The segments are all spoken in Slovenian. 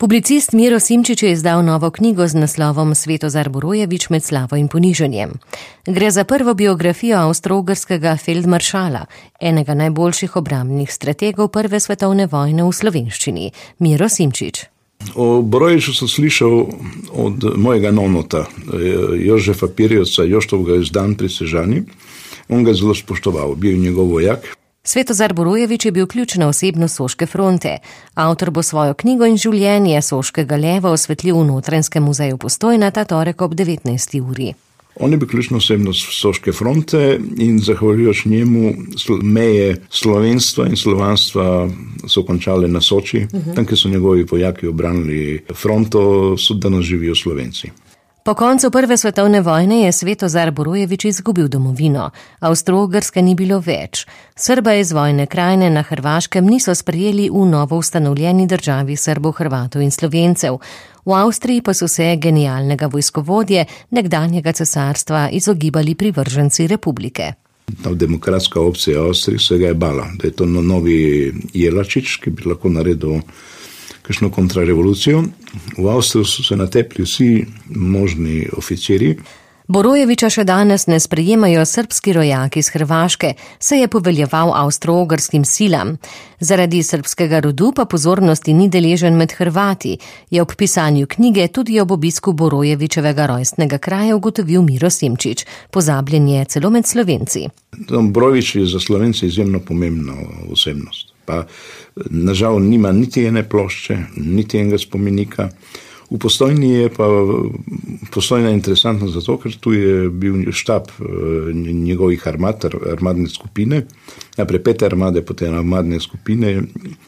Publicist Miro Simčič je izdal novo knjigo z naslovom Svetozar Borojevič med slavo in ponižanjem. Gre za prvo biografijo avstro-ogrskega feldmaršala, enega najboljših obrambnih strategov prve svetovne vojne v slovenščini. Miro Simčič. O Borojeviču sem slišal od mojega nonota, Jožefa Pirjevca, Joštovega izdan pri Sežani. On ga zelo spoštoval, bil njegov vojak. Svetozar Borojevič je bil ključna osebnost Soške fronte. Avtor bo svojo knjigo in življenje Soškega leva osvetlil v Notranjskem muzeju Postojna ta torek ob 19. uri. On je bil ključna osebnost Soške fronte in zahvaljujoč njemu meje slovenstva in slovanstva so končale na Soči. Tam, kjer so njegovi vojaki obranili fronto, so danes živijo Slovenci. Po koncu prve svetovne vojne je Svetozar Borojevič izgubil domovino. Avstro-Ogrske ni bilo več. Srba iz vojne krajine na Hrvaškem niso sprejeli v novo ustanovljeni državi Srbov, Hrvatov in Slovencev. V Avstriji pa so se genialnega vojskovodje nekdanjega cesarstva izogibali privrženci republike. Ta demokratska opcija Avstrije se ga je bala, da je to novi Jelačič, ki bi lahko naredil kakšno kontrarevolucijo. V Avstriji so se natepli vsi možni oficiri. Borojeviča še danes ne sprejemajo srbski rojaki iz Hrvaške, se je poveljeval avstro-ogrskim silam. Zaradi srbskega rodu pa pozornosti ni deležen med Hrvati, je ob pisanju knjige tudi ob obisku Borojevičevega rojstnega kraja ugotovil Miro Simčič. Pozabljen je celo med Slovenci. Borojevič je za Slovence izjemno pomembna osebnost. Pa nažal nima niti ene plošče, niti enega spomenika. V Postojni je pa Postojna interesantna zato, ker tu je bil štab njegovih armadne skupine, najprej 5 armade, potem armadne skupine.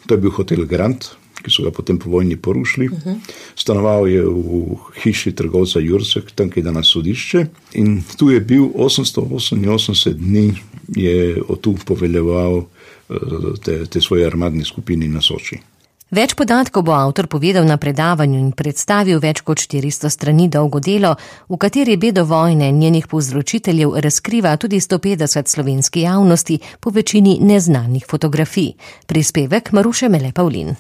To je bil hotel Grand, ki so ga potem po vojni porušili. Stanoval je v hiši trgovca Jursek, tam, ki je danes sodišče. In tu je bil 888 dni, je tu poveljeval te svoje armadne skupine na Soči. Več podatkov bo avtor povedal na predavanju in predstavil več kot 400 strani dolgo delo, v kateri bedo vojne njenih povzročiteljev razkriva tudi 150 slovenski javnosti po večini neznanih fotografij. Prispevek Maruše Mele Pavlin.